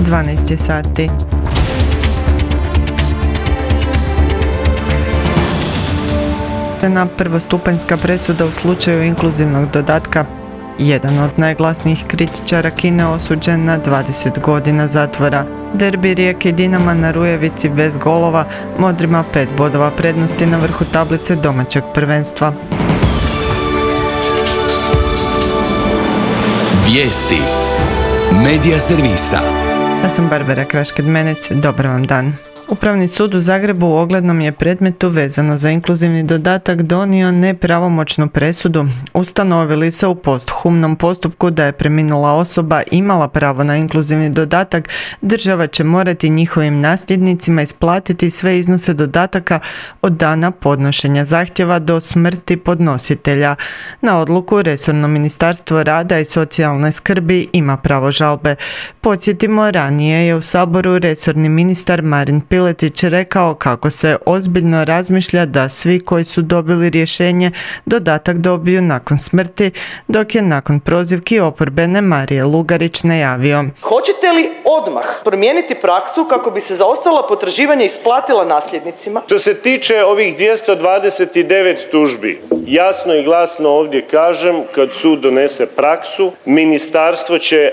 12 sati. Na prvostupanjska presuda u slučaju inkluzivnog dodatka. Jedan od najglasnijih kritičara Kine osuđen na 20 godina zatvora. Derbi Rijeke i Dinama na Rujevici bez golova, Modrima 5 bodova prednosti na vrhu tablice domaćeg prvenstva. Vijesti Medija servisa. Ja sam Barbara Krašked-Menec, dobar vam dan. Upravni sud u Zagrebu u oglednom je predmetu vezano za inkluzivni dodatak donio nepravomoćnu presudu. Ustanovili se u posthumnom postupku da je preminula osoba imala pravo na inkluzivni dodatak, država će morati njihovim nasljednicima isplatiti sve iznose dodataka od dana podnošenja zahtjeva do smrti podnositelja. Na odluku resorno Ministarstvo rada i socijalne skrbi ima pravo žalbe. Podsjetimo, ranije je u Saboru resorni ministar Marin Piletić rekao kako se ozbiljno razmišlja da svi koji su dobili rješenje dodatak dobiju nakon smrti, dok je nakon prozivki oporbene Marije Lugarić najavio: hoćete li odmah promijeniti praksu kako bi se zaostala potraživanja isplatila nasljednicima? Što se tiče ovih 229 tužbi, jasno i glasno ovdje kažem, kad sud donese praksu, ministarstvo će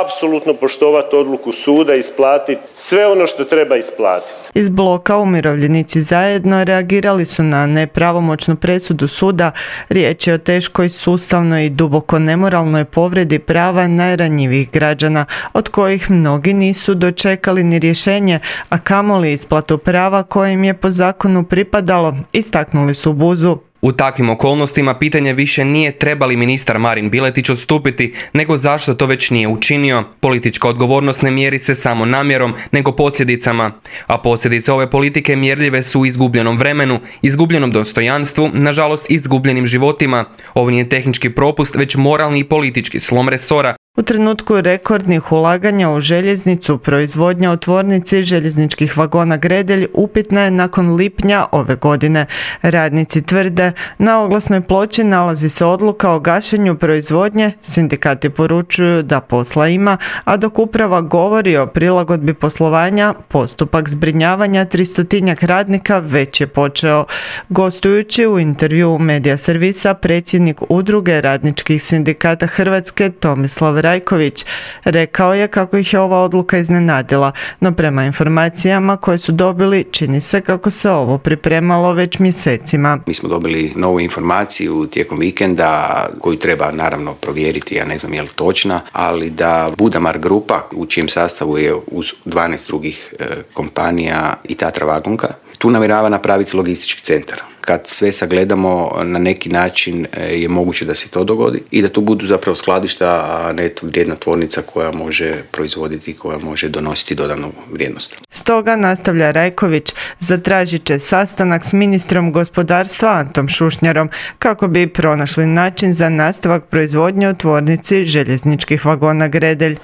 apsolutno poštovati odluku suda i isplatiti sve ono što treba isplatiti. Iz bloka Umirovljenici zajedno reagirali su na nepravomoćnu presudu suda. Riječ je o teškoj, sustavnoj i duboko nemoralnoj povredi prava najranjivijih građana, od kojih mnogi nisu dočekali ni rješenje, a kamoli isplatu prava koje im je po zakonu pripadalo, istaknuli su u Buzu. U takvim okolnostima pitanje više nije treba li ministar Marin Piletić odstupiti, nego zašto to već nije učinio. Politička odgovornost ne mjeri se samo namjerom, nego posljedicama. A posljedice ove politike mjerljive su u izgubljenom vremenu, izgubljenom dostojanstvu, nažalost izgubljenim životima. Ovo nije tehnički propust, već moralni i politički slom resora. U trenutku rekordnih ulaganja u željeznicu, proizvodnja u tvornici željezničkih vagona Gredelj upitna je nakon lipnja ove godine. Radnici tvrde, na oglasnoj ploči nalazi se odluka o gašenju proizvodnje, sindikati poručuju da posla ima, a dok uprava govori o prilagodbi poslovanja, postupak zbrinjavanja 300-tinjak radnika već je počeo. Gostujući u intervjuu Medija servisa, predsjednik Udruge radničkih sindikata Hrvatske Tomislav Rajković rekao je kako ih je ova odluka iznenadila, no prema informacijama koje su dobili čini se kako se ovo pripremalo već mjesecima. Mi smo dobili novu informaciju tijekom vikenda koju treba naravno provjeriti, ja ne znam je li točna, ali da Budamar grupa u čijem sastavu je uz 12 drugih kompanija i Tatra Vagonka tu namjerava napraviti logistički centar. Kad sve sagledamo, na neki način je moguće da se to dogodi i da tu budu zapravo skladišta, a ne vrijedna tvornica koja može proizvoditi, koja može donositi dodanu vrijednost. Stoga, nastavlja Rajković, zatražit će sastanak s ministrom gospodarstva Antom Šušnjarom kako bi pronašli način za nastavak proizvodnje u tvornici željezničkih vagona Gredelj.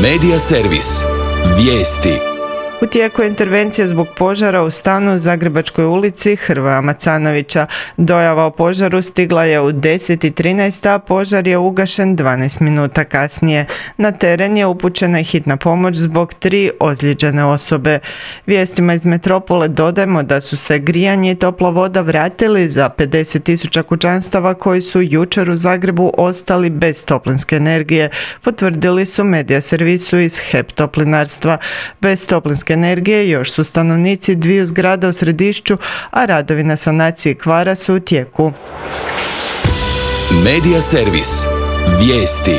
Medija servis. Vijesti. U tijeku je intervencija zbog požara u stanu u Zagrebačkoj ulici Hrvoja Macanovića. Dojava o požaru stigla je u 10:13, a požar je ugašen 12 minuta kasnije. Na teren je upućena hitna pomoć zbog 3 ozlijeđene osobe. Vijestima iz metropole dodajemo da su se grijanje i topla voda vratili za 50.000 kućanstava koji su jučer u Zagrebu ostali bez toplinske energije, potvrdili su Medija servisu iz HEP Toplinarstva. Bez toplinske energije još su stanovnici 2 zgrada u Središću, a radovi na sanaciji kvara su u tijeku. Medija servis. Vijesti.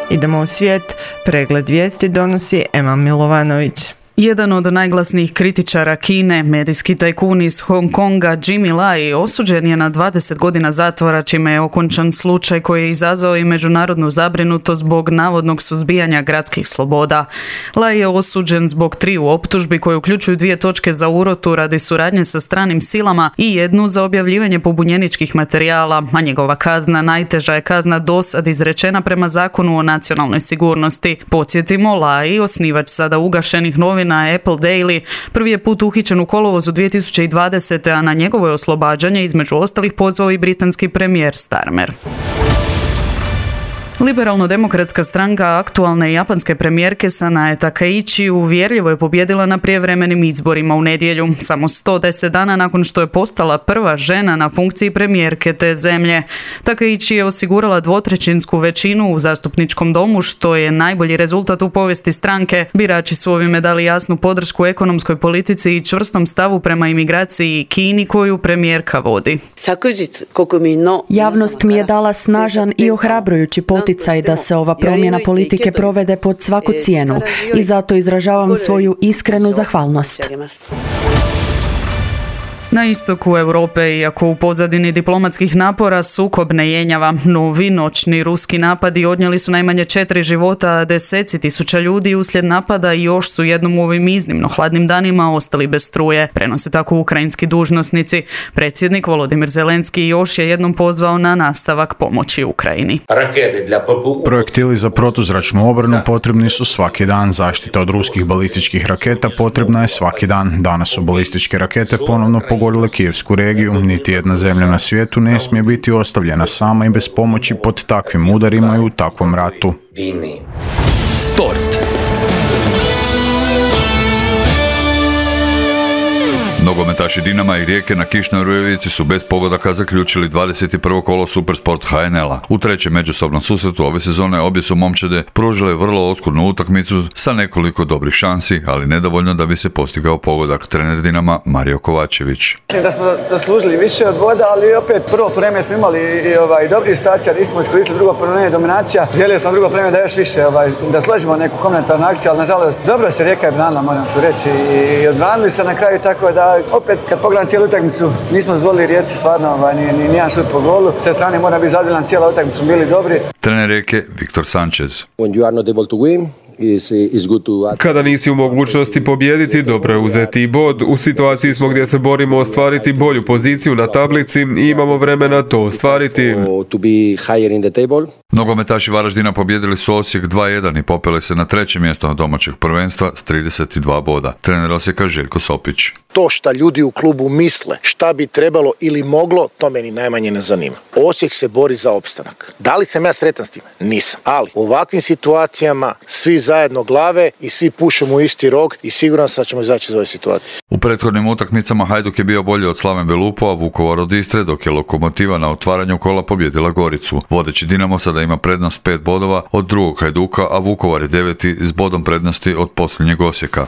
Idemo u svijet. Pregled vijesti donosi Ema Milovanović. Jedan od najglasnijih kritičara Kine, medijski tajkun iz Hong Konga Jimmy Lai, osuđen je na 20 godina zatvora, čime je okončan slučaj koji je izazvao i međunarodnu zabrinutost zbog navodnog suzbijanja gradskih sloboda. Lai je osuđen zbog 3 optužbi koje uključuju 2 točke za urotu radi suradnje sa stranim silama i 1 za objavljivanje pobunjeničkih materijala, a njegova kazna najteža je kazna dosad izrečena prema Zakonu o nacionalnoj sigurnosti. Podsjetimo, Lai, osnivač sada ugašenih novina Apple Daily, prvi je put uhićen u kolovozu 2020. a na njegovo je oslobađanje između ostalih pozvao i britanski premijer Starmer. Liberalno-demokratska stranka aktualne japanske premijerke Sanae Takaichi uvjerljivo je pobijedila na prijevremenim izborima u nedjelju, samo 110 dana nakon što je postala prva žena na funkciji premijerke te zemlje. Takaichi je osigurala 2/3 većinu u zastupničkom domu, što je najbolji rezultat u povijesti stranke. Birači su ovime dali jasnu podršku ekonomskoj politici i čvrstom stavu prema imigraciji i Kini koju premijerka vodi. Javnost mi je dala snažan i ohrabrujući poticaj da se ova promjena politike provede pod svaku cijenu i zato izražavam svoju iskrenu zahvalnost. Na istoku Europe, iako u pozadini diplomatskih napora, sukob ne jenjava. Novi noćni ruski napadi odnijeli su najmanje 4 života, a deseci tisuća ljudi uslijed napada još su jednom u ovim iznimno hladnim danima ostali bez struje. Prenose tako ukrajinski dužnosnici. Predsjednik Volodimir Zelenski još je jednom pozvao na nastavak pomoći Ukrajini. Projektili za protuzračnu obranu potrebni su svaki dan. Zaštita od ruskih balističkih raketa potrebna je svaki dan. Danas su balističke rakete ponovno pogodile Kijevsku regiju. Niti jedna zemlja na svijetu ne smije biti ostavljena sama i bez pomoći pod takvim udarima i u takvom ratu. Sport. Nogometaši Dinama i Rijeke na kišnoj Rujevici su bez pogodaka zaključili 21. kolo Supersport HNL-a. U trećem međusobnom susretu ove sezone obje su momčade pružile vrlo oskudnu utakmicu sa nekoliko dobrih šansi, ali nedovoljno da bi se postigao pogodak. Trener Dinama Mario Kovačević. Mislim da smo zaslužili više od boda, ali opet prvo vreme smo imali i dobrih situacija, nismo iskoristili, drugo vreme dominacija. Želio sam drugo vreme da još više da složimo neku komentarnu akciju, ali nažalost dobro se Rijeka je branila, moram tu reći, i odbranili se na kraju, tako da opet kad pogledam cijelu utakmicu nismo dozvolili Rijeci stvarno ni jedan šut po golu. S te strane mora biti zadovoljan, cijela utakmica su bili dobri. Trener Rijeke Viktor Sanchez. Kada nisi u mogućnosti pobijediti, dobro je uzeti i bod. U situaciji smo gdje se borimo ostvariti bolju poziciju na tablici i imamo vremena to ostvariti. Nogometaši Varaždina pobijedili su Osijek 2-1 i popeli se na treće mjesto domaćeg prvenstva s 32 boda. Trener Osijeka Željko Sopić. To šta ljudi u klubu misle, šta bi trebalo ili moglo, to meni najmanje ne zanima. Osijek se bori za opstanak. Da li sam ja sretan s tim? Nisam. Ali u ovakvim situacijama svi zajedno glave i svi pušemo u isti rog i siguran sam da ćemo izaći iz ove situacije. U prethodnim utakmicama Hajduk je bio bolji od Slaven Belupo, a Vukovar od Istre, dok je Lokomotiva na otvaranju kola pobjedila Goricu. Vodeći Dinamo sada ima prednost 5 bodova od drugog Hajduka, a Vukovar je 9. s bodom prednosti od posljednjeg Osijeka.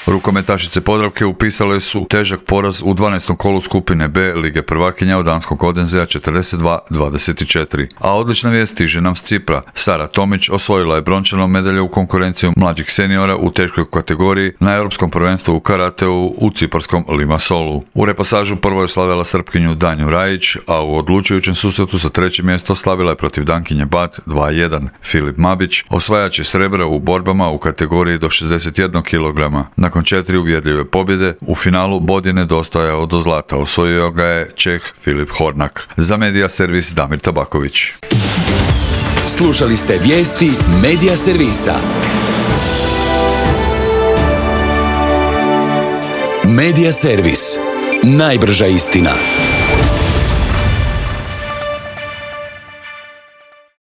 Rukometašice Podravke upisale su težak poraz u 12. kolu skupine B Lige prvakinja od danskog Odenzea 42-24. A odlična vijest stiže nam s Cipra. Sara Tomić osvojila je brončanu medalju u konkurenciju mlađih seniora u teškoj kategoriji na Europskom prvenstvu u karateu u ciparskom Limassolu. U repasažu prvo je slavila Srpkinju Danju Rajić, a u odlučujućem susretu za treće mjesto slavila je protiv Dankinje Bat 2-1. Filip Mabić osvajač je srebra u borbama u kategoriji do 61 kg. Nakon 4 uvjerljive pobjede, u finalu bod je nedostajao do zlata. Osvojio ga je Čeh Filip Hornak. Za Medija servis Damir Tabaković. Slušali ste vijesti Medija servisa. Medija servis. Najbrža istina.